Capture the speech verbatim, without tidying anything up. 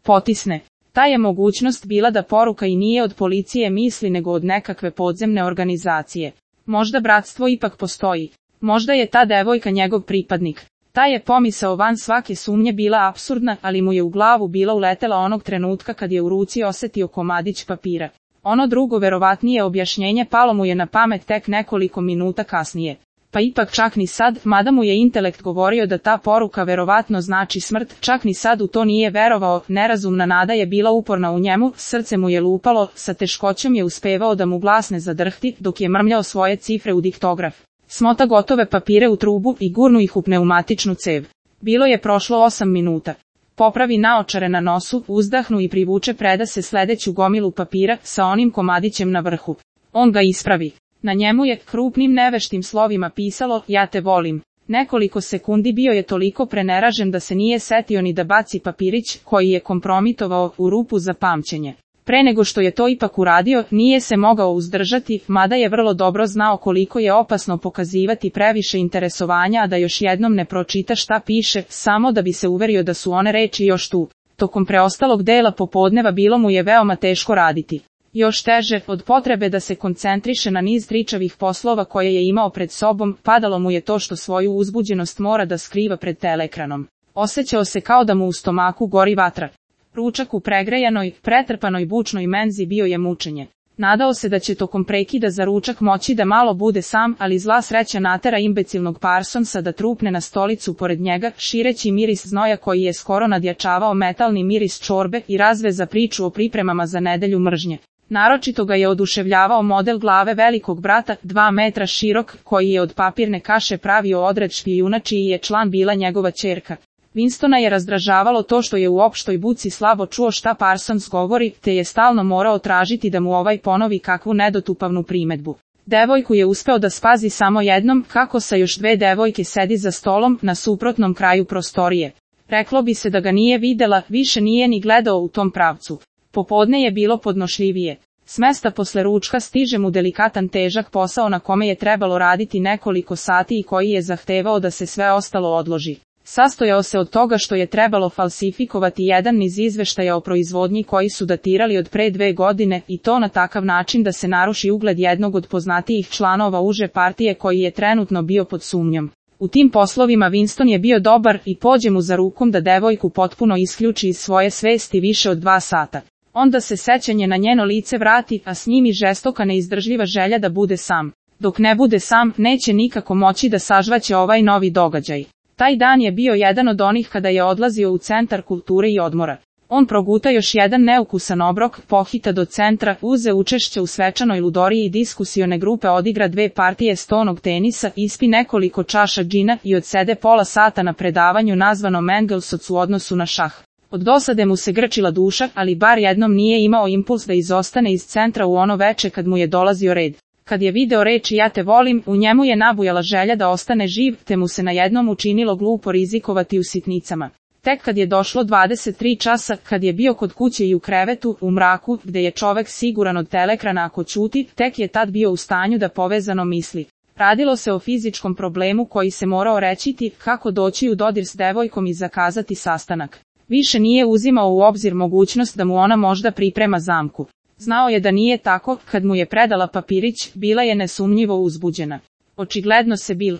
potisne. Ta je mogućnost bila da poruka i nije od policije misli nego od nekakve podzemne organizacije. Možda bratstvo ipak postoji. Možda je ta devojka njegov pripadnik. Ta je pomisao van svake sumnje bila apsurdna, ali mu je u glavu bila uletela onog trenutka kad je u ruci osetio komadić papira. Ono drugo verovatnije objašnjenje palo mu je na pamet tek nekoliko minuta kasnije. Pa ipak čak ni sad, mada mu je intelekt govorio da ta poruka verovatno znači smrt, čak ni sad u to nije verovao, nerazumna nada je bila uporna u njemu, srce mu je lupalo, sa teškoćom je uspevao da mu glas ne zadrhti, dok je mrmljao svoje cifre u diktograf. Smota gotove papire u trubu i gurnu ih u pneumatičnu cev. Bilo je prošlo osam minuta. Popravi naočare na nosu, uzdahnu i privuče preda se sledeću gomilu papira sa onim komadićem na vrhu. On ga ispravi. Na njemu je krupnim neveštim slovima pisalo ja te volim. Nekoliko sekundi bio je toliko preneražen da se nije setio ni da baci papirić koji je kompromitovao u rupu za pamćenje. Pre nego što je to ipak uradio, nije se mogao uzdržati, mada je vrlo dobro znao koliko je opasno pokazivati previše interesovanja, a da još jednom ne pročita šta piše, samo da bi se uverio da su one reči još tu. Tokom preostalog dela popodneva bilo mu je veoma teško raditi. Još teže, od potrebe da se koncentriše na niz tričavih poslova koje je imao pred sobom, padalo mu je to što svoju uzbuđenost mora da skriva pred teleekranom. Osjećao se kao da mu u stomaku gori vatra. Ručak u pregrejanoj, pretrpanoj bučnoj menzi bio je mučenje. Nadao se da će tokom prekida za ručak moći da malo bude sam, ali zla sreća natera imbecilnog Parsonsa da trupne na stolicu pored njega, šireći miris znoja koji je skoro nadjačavao metalni miris čorbe i razveza priču o pripremama za nedelju mržnje. Naročito ga je oduševljavao model glave velikog brata, dva metra širok, koji je od papirne kaše pravio odred špijuna čiji je član bila njegova ćerka. Winstona je razdražavalo to što je u opštoj buci slabo čuo šta Parsons govori, te je stalno morao tražiti da mu ovaj ponovi kakvu nedotupavnu primedbu. Devojku je uspeo da spazi samo jednom, kako sa još dve devojke sedi za stolom na suprotnom kraju prostorije. Reklo bi se da ga nije videla, više nije ni gledao u tom pravcu. Popodne je bilo podnošljivije. S mesta posle ručka stiže mu delikatan težak posao na kome je trebalo raditi nekoliko sati i koji je zahtevao da se sve ostalo odloži. Sastojao se od toga što je trebalo falsifikovati jedan niz izveštaja o proizvodnji koji su datirali od pre dve godine i to na takav način da se naruši ugled jednog od poznatijih članova uže partije koji je trenutno bio pod sumnjom. U tim poslovima Winston je bio dobar i pođe mu za rukom da devojku potpuno isključi iz svoje svesti više od dva sata. Onda se sećanje na njeno lice vrati, a s njim i žestoka neizdržljiva želja da bude sam. Dok ne bude sam, neće nikako moći da sažvaće ovaj novi događaj. Taj dan je bio jedan od onih kada je odlazio u centar kulture i odmora. On proguta još jedan neukusan obrok, pohita do centra, uze učešće u svečanoj ludoriji i diskusione grupe odigra dve partije stonog tenisa, ispi nekoliko čaša džina i odsede pola sata na predavanju nazvanom Engelsotz u odnosu na šah. Od dosade mu se grčila duša, ali bar jednom nije imao impuls da izostane iz centra u ono veče kad mu je dolazio red. Kad je video reči ja te volim, u njemu je nabujala želja da ostane živ, te mu se na jednom učinilo glupo rizikovati u sitnicama. Tek kad je došlo dvadeset tri časa, kad je bio kod kuće i u krevetu, u mraku, gde je čovek siguran od telekrana ako ćuti, tek je tad bio u stanju da povezano misli. Radilo se o fizičkom problemu koji se morao rečiti, kako doći u dodir s devojkom i zakazati sastanak. Više nije uzimao u obzir mogućnost da mu ona možda priprema zamku. Znao je da nije tako, kad mu je predala papirić, bila je nesumnjivo uzbuđena. Očigledno se Bill